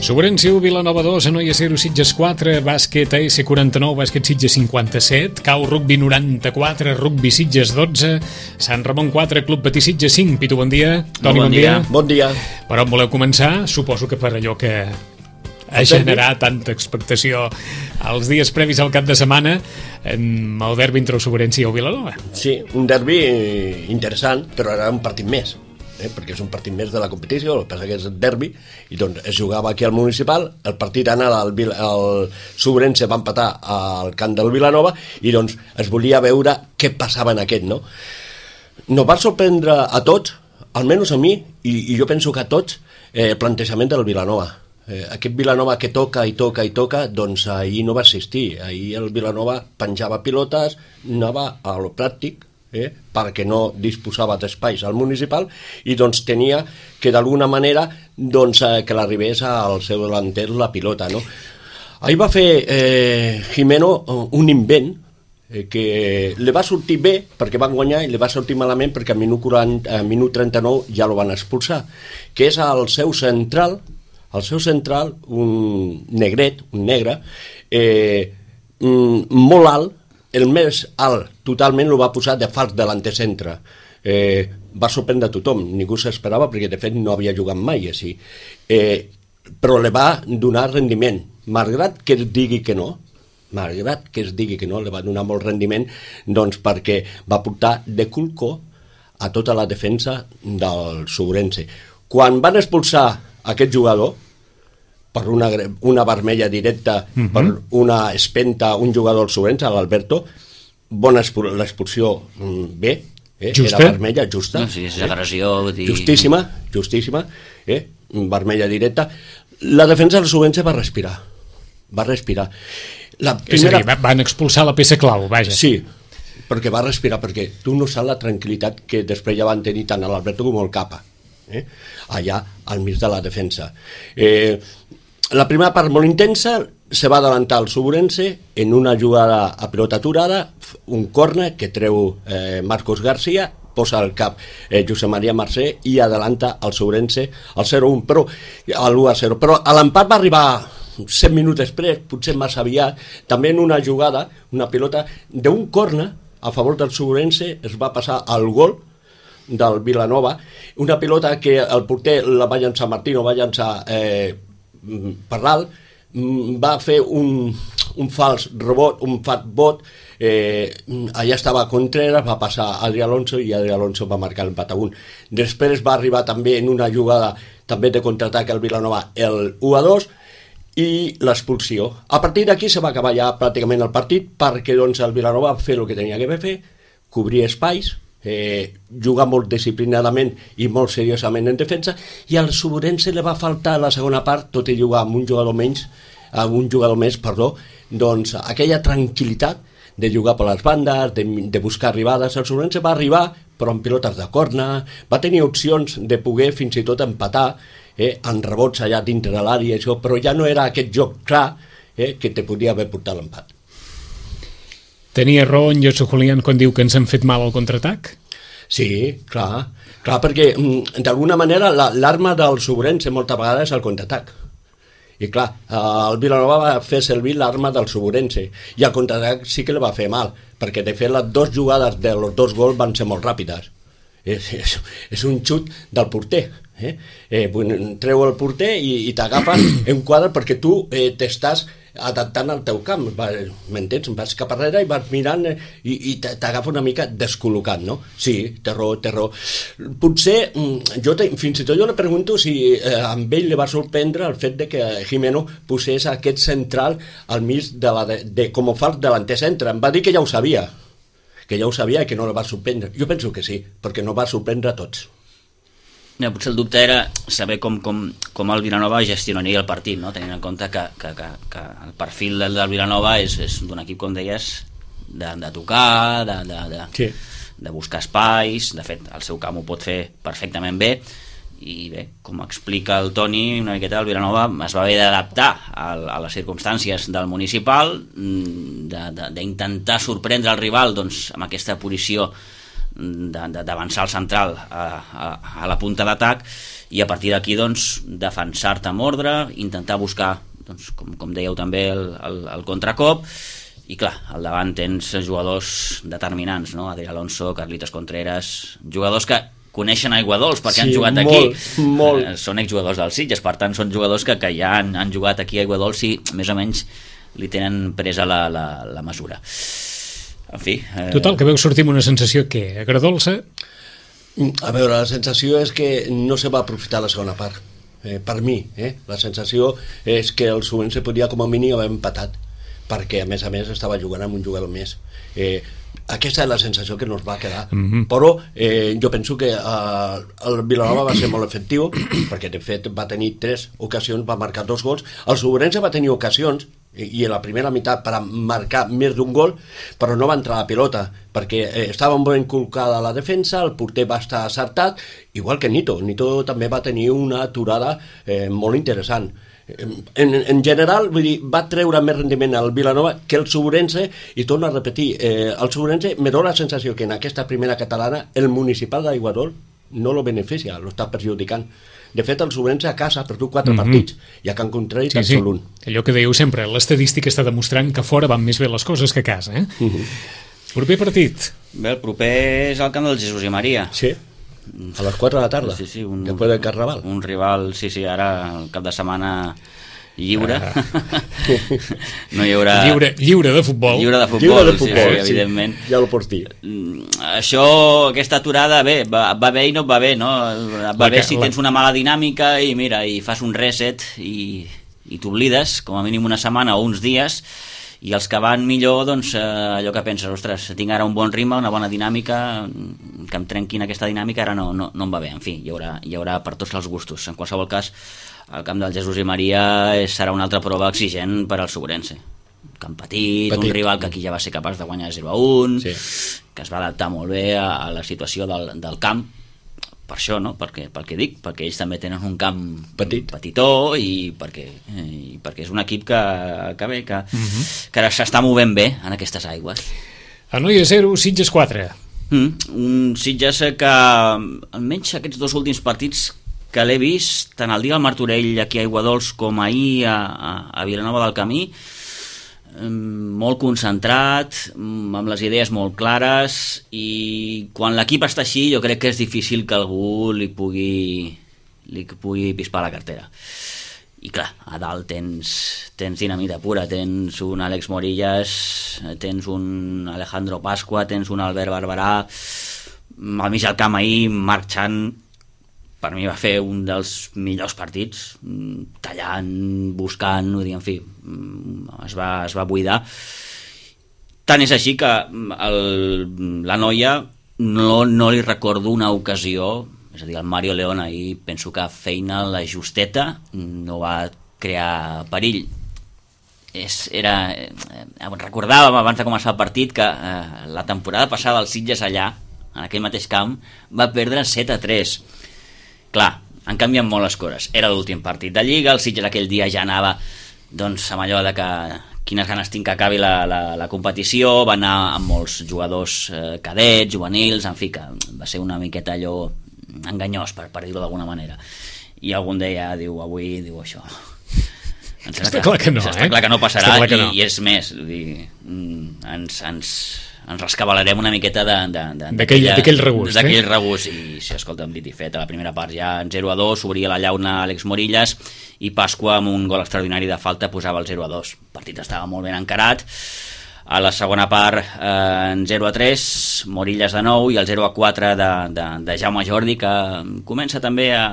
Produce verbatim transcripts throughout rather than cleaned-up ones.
Sobrense u, Vilanova dos, Anoia zero, Sitges quatre, bàsquet A S quaranta-nou, bàsquet Sitges cinquanta-set, Cau Rugbi noranta-quatre, Rugbi Sitges dotze, Sant Ramon quatre, Club Patí Sitges cinc. Pitu, bon dia. Toni, bon, bon dia. dia. Bon dia. Per on voleu començar? Suposo que per allò que ha generat tanta expectació els dies previs al cap de setmana, el derbi entre el Sobrense i el Vilanova. Sí, un derbi interessant, però era un partit més. Eh, perquè és un partit més de la competició, el que passa que és el derbi, i doncs es jugava aquí al Municipal, el partit anava al el Sobrense va empatar al camp del Vilanova, i doncs es volia veure què passava en aquest, no? Nos va sorprendre a tots, almenys a mi, i, i jo penso que a tots, eh, el plantejament del Vilanova. Eh, aquest Vilanova que toca i toca i toca, doncs ahir no va assistir. Ahir el Vilanova penjava pilotes, anava a lo pràctic, Eh, perquè no disposava d'espais al Municipal, i doncs tenia que d'alguna manera doncs, eh, que l'arribés al seu delanter la pilota, no? Ahir va fer eh, Jimeno un invent eh, que li va sortir bé perquè van guanyar, i li va sortir malament perquè al minut, quaranta, al minut trenta-nou ja lo van expulsar, que és el seu central, el seu central, un negret, un negre, eh, molt alt, el més alt totalment lo va posar de fals delanter-centre. Eh, va sorprendre a tothom, ningú s'esperava perquè de fet no havia jugat mai així. Eh, però li va donar rendiment, malgrat que es digui que no, malgrat que es digui que no, li va donar molt rendiment, doncs perquè va portar de culcó a tota la defensa del Sobrense. Quan van expulsar aquest jugador, per una, una vermella directa, uh-huh. per una espenta, un jugador del Sobrense, l'Alberto, bona l'expulsió bé, eh? Era vermella, justa. No, sí, és agressió. Eh? Dir... Justíssima, justíssima, eh? Vermella directa. La defensa del Sobrense va respirar, va respirar. La primera... És a dir, van expulsar la peça clau, vaja. Sí, perquè va respirar, perquè tu no saps la tranquil·litat que després ja van tenir tant l'Alberto com el Capa, eh? allà al mig de la defensa. Eh... La primera part molt intensa, se va adelantar el Sobrense en una jugada a pilota aturada, un córner que treu eh, Marcos García, posa al cap eh, Josep Maria Mercè i adelanta el Sobrense al zero un, però al u a zero. Però l'empat va arribar set minuts després, potser massa aviat, també en una jugada, una pilota d'un córner a favor del Sobrense, es va passar al gol del Vilanova, una pilota que el porter la va llançar Martino, va llançar eh, per dalt, va fer un, un fals rebot, un fat bot, eh, allà estava Contreras, va passar Adri Alonso i Adri Alonso va marcar l'empat a un. Després va arribar també en una jugada també de contraatac al Vilanova el u a dos i l'expulsió. A partir d'aquí se va acabar ja pràcticament el partit, perquè doncs el Vilanova va fer el que tenia que fer, cobrir espais, Eh, jugar molt disciplinadament i molt seriosament en defensa, i al Sobrense li va faltar la segona part, tot i jugar amb un jugador menys, amb un jugador més, perdó, doncs aquella tranquil·litat de jugar per les bandes, de, de buscar arribades. El Sobrense va arribar però amb pilotes de corna, va tenir opcions de poder fins i tot empatar eh, en rebots allà dintre de l'àrea, això, però ja no era aquest joc clar eh, que te podia haver portat l'empat. Tenia raó en Josep Julián quan diu que ens han fet mal al contraatac? Sí, clar, clar, perquè d'alguna manera l'arma del Sobrense moltes vegades és el contraatac. I clar, el Vilanova va fer servir l'arma del Sobrense i el contraatac sí que li va fer mal, perquè de fet les dues jugades dels dos gols van ser molt ràpides. És, és, és un xut del porter. Eh? Eh, treu el porter i, i t'agafa en quadre perquè tu eh, t'estàs adaptant al teu camp, m'entens? Vas cap arrere i vas mirant i, i t'agafa una mica descol·locat, no? Sí, té raó, té raó. Potser, jo te, fins i tot jo le pregunto si eh, amb ell li va sorprendre el fet de que Jimeno posés aquest central al mig de la de, de, com a fals delanter centre. Em va dir que ja ho sabia, que ja ho sabia i que no li va sorprendre. Jo penso que sí, perquè no va sorprendre a tots. No, potser el dubte era saber com, com, com el Vilanova gestionaria el partit, no? Tenint en compte que, que, que, que el perfil del, del Vilanova és, és d'un equip, com deies, de, de tocar, de, de, de, sí. de buscar espais. De fet, el seu camp ho pot fer perfectament bé, i bé, com explica el Toni una miqueta, el Vilanova es va haver d'adaptar a, a les circumstàncies del Municipal, d'intentar sorprendre el rival doncs, amb aquesta posició d'avançar al central a, a, a la punta d'atac, i a partir d'aquí doncs, defensar-te amb ordre, intentar buscar, doncs, com, com dèieu també, el, el, el contracop, i clar, al davant tens jugadors determinants, no? Adrià Alonso, Carlitos Contreras, jugadors que coneixen Aiguadols perquè sí, han jugat molt, aquí, molt. Eh, són exjugadors del Sitges, per tant són jugadors que, que ja han, han jugat aquí a Aiguadols i més o menys li tenen presa la, la, la mesura. En fi... Eh... Total, que veu sortir amb una sensació que agradolça. A veure, la sensació és que no se va aprofitar la segona part, eh, per mi, eh? La sensació és que el Subrense podia com a mínim haver empatat, perquè a més a més estava jugant amb un jugador més. Eh, aquesta és la sensació que ens va quedar, mm-hmm. però eh, jo penso que eh, el Vilanova va ser molt efectiu, perquè de fet va tenir tres ocasions, va marcar dos gols. El Subrense va tenir ocasions i en la primera meitat per marcar més d'un gol, però no va entrar la pilota perquè eh, estava ben col·locada la defensa, el porter va estar acertat, igual que Nito. Nito també va tenir una aturada eh, molt interessant. En, en general, vull dir, va treure més rendiment al Vilanova que el Subrense, i torno a repetir, eh, el Subrense me dóna la sensació que en aquesta primera catalana el municipal d'Aiguadol no lo beneficia, lo està perjudicant. De fet, el Subrense a casa ha perdut quatre mm-hmm. partits i a Can Contrari sí, tan sí. sol un. Allò que dèieu sempre, l'estadística està demostrant que fora van més bé les coses que a casa, eh? Mm-hmm. Proper partit. Bé, el proper és el camp del Jesús i Maria. Sí, a les quatre de la tarda, sí, sí, un, després del Carnaval. Un rival, sí, sí, ara el cap de setmana lliure. Ah. No hi haurà... Lliure, lliure de futbol. Lliure de futbol, lliure de futbol sí, sí, evidentment. Ja ho pots dir. Això, aquesta aturada, bé, va, va bé i no va bé, no? Va la bé que, si la... tens una mala dinàmica i mira, i fas un reset i, i t'oblides, com a mínim una setmana o uns dies, i els que van millor, doncs, eh, allò que penses, ostres, tinc ara un bon ritme, una bona dinàmica, que em trenquin aquesta dinàmica, ara no, no, no em va bé. En fi, hi haurà, hi haurà per tots els gustos. En qualsevol cas, el camp del Jesús i Maria serà una altra prova exigent per al Subrense. Un camp petit, petit, un rival que aquí ja va ser capaç de guanyar zero a un, sí. Que es va adaptar molt bé a, a la situació del, del camp, per això, no? Perquè, pel que dic, perquè ells també tenen un camp petit, petitó, i perquè, i perquè és un equip que, que bé, que, uh-huh. que s'està movent bé en aquestes aigües. Anoia zero, Sitges quatre. Mm, un Sitges que almenys aquests dos últims partits que l'he vist, tant el dia al Martorell aquí a Aiguadols com ahir a, a, a Vilanova del Camí, molt concentrat, amb les idees molt clares, i quan l'equip està així jo crec que és difícil que algú li pugui, li pugui pispar la cartera. I clar, a dalt tens, tens dinamita pura, tens un Àlex Morillas, tens un Alejandro Pasqua, tens un Albert Barberà, al mig del camp ahir Marc Chan per mi va fer un dels millors partits, tallant, buscant, vull dir, en fi, es va, es va buidar. Tant és així que el, la noia no, no li recordo una ocasió, és a dir, el Mario León ahir penso que feina la justeta, no va crear perill. És, era, eh, recordàvem abans de començar el partit que eh, la temporada passada el Sitges allà, en aquell mateix camp, va perdre set a tres. Clar, han canviat molt les coses. Era l'últim partit de Lliga, el Sitges aquell dia ja anava doncs, amb allò de que quines ganes tinc que acabi la, la, la competició, va anar amb molts jugadors eh, cadets, juvenils, en fi, que va ser una miqueta allò enganyós, per, per dir-ho d'alguna manera. I algun deia, diu, avui, diu això... Ens està clar que no, està eh? clar que no passarà, que i, no. i és més, dir, ens, ens, ens rescabalarem una miqueta d'aquell regust, d'aquell eh? regust, i si escolta'm, dit i fet, a la primera part ja en zero a dos, obria la llauna Àlex Morillas, i Pasqua amb un gol extraordinari de falta posava el zero a dos. El partit estava molt ben encarat. A la segona part eh, en zero a tres, Morillas de nou, i el zero a quatre de, de, de Jaume Jordi, que comença també a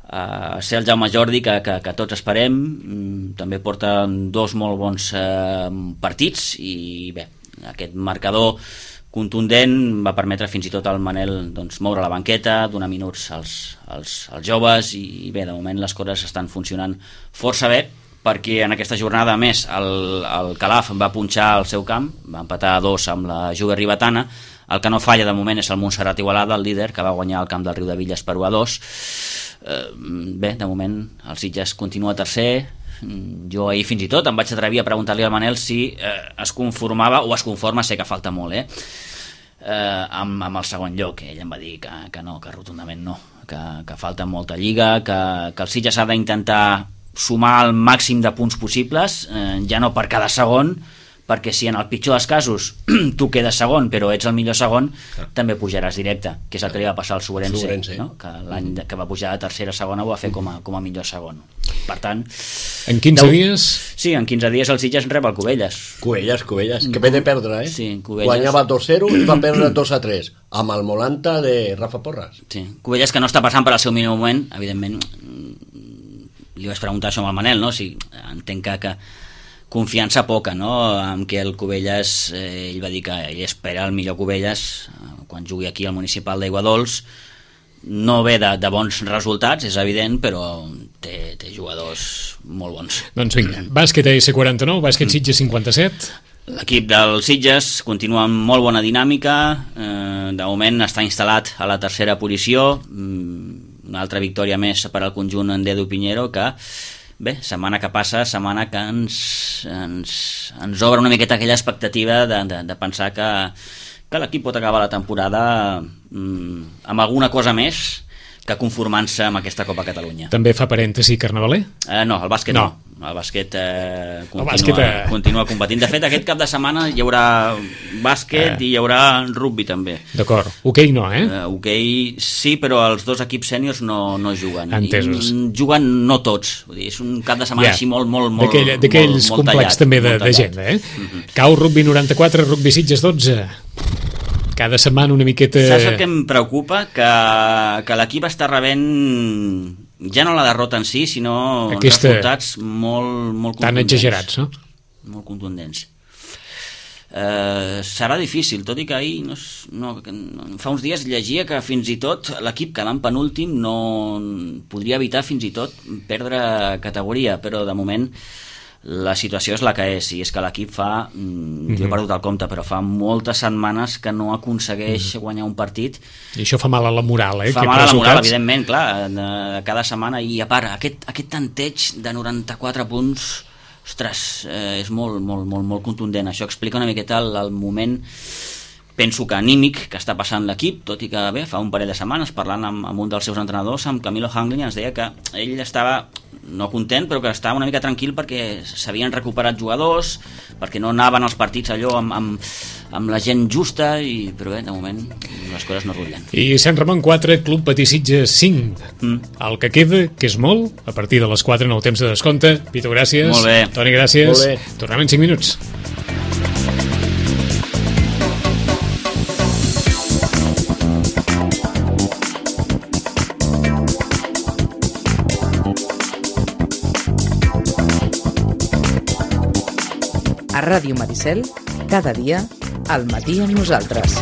a ser el Jaume Jordi que, que, que tots esperem. També porta dos molt bons eh, partits, i bé, aquest marcador contundent va permetre fins i tot al Manel doncs, moure la banqueta, donar minuts als, als, als joves, i bé, de moment les coses estan funcionant força bé, perquè en aquesta jornada a més el, el Calaf va punxar al seu camp, va empatar a dos amb la Juga Ribetana. El que no falla de moment és el Montserrat Igualada, el líder, que va guanyar el camp del Riu de Villes per u a dos. Eh, bé, de moment el Sitges continua tercer. Jo ahir fins i tot em vaig atrevir a preguntar-li al Manel si eh, es conformava, o es conforma, sé que falta molt, eh, eh amb, amb el segon lloc. Ell em va dir que, que no, que rotundament no, que, que falta molta lliga, que, que el Sitges ha d'intentar sumar el màxim de punts possibles, eh, ja no per cada segon, perquè si en el pitjor dels casos tu quedes segon però ets el millor segon, clar, també pujaràs directe, que és el que li va passar al Sobrense, Sobrense. No? Que l'any que va pujar a tercera segona ho va fer com a, com a millor segon. Per tant, en quinze deu... dies? Sí, en quinze dies el Sitges rep el Cubelles. Cubelles, Cubelles, que ve de perdre, eh? Sí, Cubelles. Guanyava dos zero i va perdre dos a tres, amb el Molanta de Rafa Porras. Sí, Cubelles que no està passant per al seu millor moment, evidentment. Li vaig preguntar això amb el Manel, no? Si entenc que, que confiança poca, no?, amb que el Cubelles, eh, ell va dir que ell espera el millor Cubelles eh, quan jugui aquí al municipal d'Aiguadols. No ve de, de bons resultats, és evident, però té, té jugadors molt bons. Doncs vinga, bàsquet A S quaranta-nou, bàsquet Sitges cinquanta-set. L'equip del Sitges continua amb molt bona dinàmica, eh, de moment està instal·lat a la tercera posició, una altra victòria més per al conjunt en Dedo Piñero, que bé, setmana que passa, setmana que ens, ens, ens obre una miqueta aquella expectativa de, de, de pensar que, que l'equip pot acabar la temporada mm, amb alguna cosa més que conformant-se amb aquesta Copa Catalunya. També fa parèntesi Carnavaler? Eh, no, el bàsquet no. no. El bàsquet, eh, continua, el bàsquet eh... continua competint. De fet, aquest cap de setmana hi haurà bàsquet eh. i hi haurà rugby també. D'acord. Hoquei no, eh? Uh, Hoquei sí, però els dos equips sèniors no, no juguen. Entesos. I juguen no tots. Vull dir, és un cap de setmana yeah. així molt, molt, molt, d'aquells molt, molt complex tallat, també d'agenda, eh? Uh-huh. Cau rugby noranta-quatre, rugby Sitges dotze. Cada setmana una miqueta... Saps el que em preocupa? Que, que l'equip està rebent ja no la derrota en si, sinó aquesta... resultats molt, molt contundents. Tan exagerats, no? Molt contundents. Uh, serà difícil, tot i que ahir no, no, fa uns dies llegia que fins i tot l'equip quedant penúltim no podria evitar fins i tot perdre categoria, però de moment la situació és la que és, i és que l'equip fa, mm-hmm. jo he perdut el compte, però fa moltes setmanes que no aconsegueix mm-hmm. guanyar un partit. I això fa mal a la moral, eh? Fa mal a la moral, evidentment, clar, de, cada setmana, i a part, aquest, aquest tanteig de noranta-quatre punts, ostres, eh, és molt, molt, molt, molt contundent. Això explica una miqueta el, el moment, penso que anímic, que està passant l'equip, tot i que bé, fa un parell de setmanes, parlant amb, amb un dels seus entrenadors, amb Camilo Hanglin, ens deia que ell estava no content, però que estava una mica tranquil perquè s'havien recuperat jugadors, perquè no anaven als partits allò amb, amb, amb la gent justa, i, però bé, de moment les coses no rutllen. I Sant Ramon quatre, Club Patí Sitges cinc. Mm. El que queda, que és molt, a partir de les quatre en el temps de descompte. Pitu, gràcies. Molt bé. Toni, gràcies. Molt bé. Tornem en cinc minuts. A Ràdio Maricel, cada dia, al matí amb nosaltres.